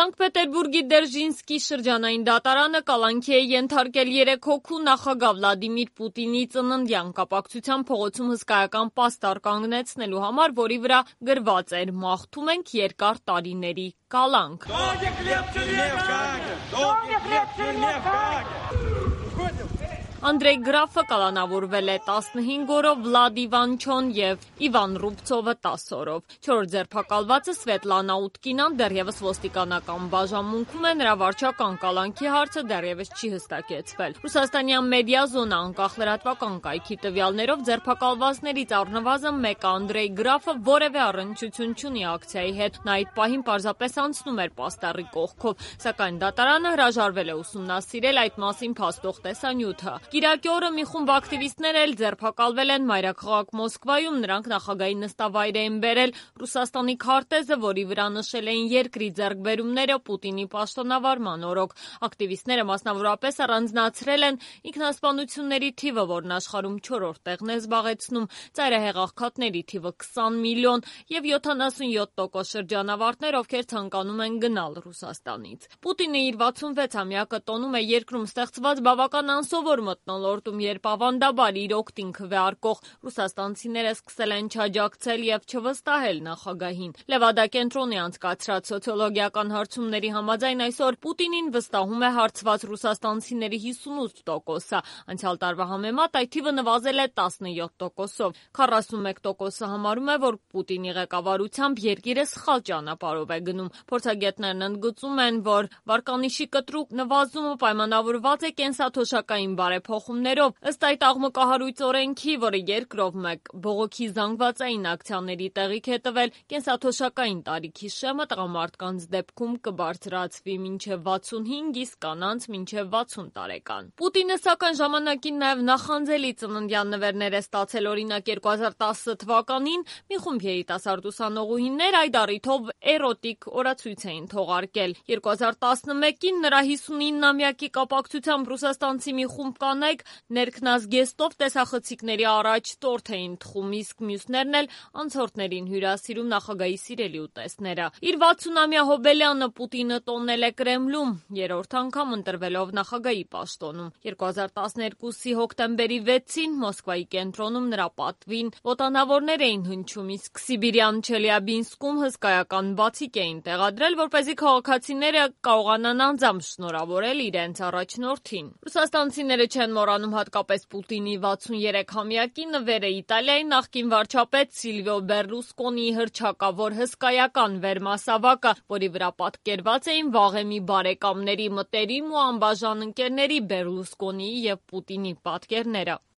Սանկտ Պետերբուրգի Դերժինսկի շրջանային դատարանը կալանքի է ենթարկել 3 հոգու նախագահ Վլադիմիր Պուտինի ծննդյան կապակցությամբ փողոցում հսկայական պաստառ կանգնեցնելու համար, որի վրա գրված էր «Մաղթում ենք երկար տարիների կալանք»։ Անդրեյ Գրաֆը կալանավորվել է 15 օրով, Վլադ Իվանչոն և Իվան Ռուբցովը 10 օրով։ 4-րդ ձերբակալվածը Սվետլանա Ուտկինան դեռևս ոստիկանական բաժանմունքում է, նրա վարչական կալանքի հարցը դեռևս չի հստակեցվել։ Ռուսաստանյան մեդիա զոնա անկախ լրատվական կայքի տվյալներով ձերբակալվածներից առնվազն մեկը Անդրեյ Գրաֆը որևէ առնչություն չունի ակցիայի հետ, նա այդ պահին պարզապես անցնում էր պաստառի կողքով, սակայն դատարանը հրաժարվել է ուսումնասիրել այդ մասին փաստող տեսանյութը։ Կիրակի օրը մի խումբ ակտիվիստներ էլ ձերբակալվել են մայրաքաղաք Մոսկվայում, նրանք նախագահի նստավայր էին բերել Ռուսաստանի քարտեզը, որի վրա նշել էին երկրի ձեռքբերումները Պուտինի պաշտոնավարման օրոք։ Ակտիվիստները մասնավորապես առանձնացրել են ինքնասպանությունների թիվը, որն աշխարհում 4-րդ տեղն է զբաղեցնում, ծայրահեղ աղքատների թիվը 20 միլիոն և 77% շրջանավարտներ, ովքեր ցանկանում են գնալ Ռուսաստանից։ Պուտինը իր 66-ամյակը տոնում է երկրում ստեղծված բավական անսովոր մթնոլորտում, երբ ավանդաբար իր օգտին քվեարկող ռուսաստանցիները սկսել են չաջակցել և չվստահել նախագահին։ Լևադա կենտրոնի անցկացրած սոցիոլոգիական հարցումների համաձայն այսօր Պուտինին վստահում է հարցված ռուսաստանցիների 58%-ը, անցյալ տարվա համեմատ այդ թիվը նվազել է 17%-ով։ 41%-ը համարում է, որ Պուտինի ղեկավարությամբ երկիրը սխալ ճանապարհով է գնում։ Փորձագետներն ընդգծում են, որ վարկանիշի կտրուկ նվազումը պայմանավորված է կենսաթոշակային բարեփոխումներով։ Ըստ այդ աղմկահարույց օրենքի, որը երկրով մեկ բողոքի զանգվածային ակցիաների տեղիք է տվել, կենսաթոշակային տարիքի շեմը տղամարդկանց դեպքում կբարձրացվի մինչև 65, իսկ կանանց մինչև 60 տարեկան։ Պուտինը սակայն ժամանակին նաև նախանձելի ծննդյան նվերներ է ստացել, օրինակ 2010 թվականին մի խումբ երիտասարդ ուսանողուհիներ այդ առիթով էրոտիկ օրացույց էին թողարկել։ 2011-ին նրա 59-ամյակի կապակցությամբ ռուսաստանցի մի խումբ կանայք ներքնազգեստով տեսախցիկների առաջ տորթ էին թխում, իսկ մյուսներն էլ անցորդներին հյուրասիրում նախագահի սիրելի ուտեստները։ Իր 60-ամյա հոբելյանը Պուտինը տոնել է Կրեմլում, երրորդ անգամ ընտրվելով նախագահի պաշտոնում։ 2012-ի հոկտեմբերի 6-ին Մոսկվայի կենտրոնում նրա պատվին ոտանավորներ էին հնչում, իսկ Սիբիրյան Չելյաբինսկում հսկայական բացիկ էին տեղադրել, որպեսզի քաղաքացիները կարողանան անձամբ շնորհավորել իրենց առաջնորդին։ Ռուսաստանցիները չեն մոռանում հատկապես Պուտինի 63-ամյակի նվերը Իտալիայի նախկին վարչապետ Սիլվիո Բեռլուսկոնիի հռչակավոր հսկայական վերմասավակը, որի վրա պատկերված էին վաղեմի բարեկամների, մտերիմ ու անբաժան ընկերների Բեռլուսկոնիի և Պուտինի պատկերները։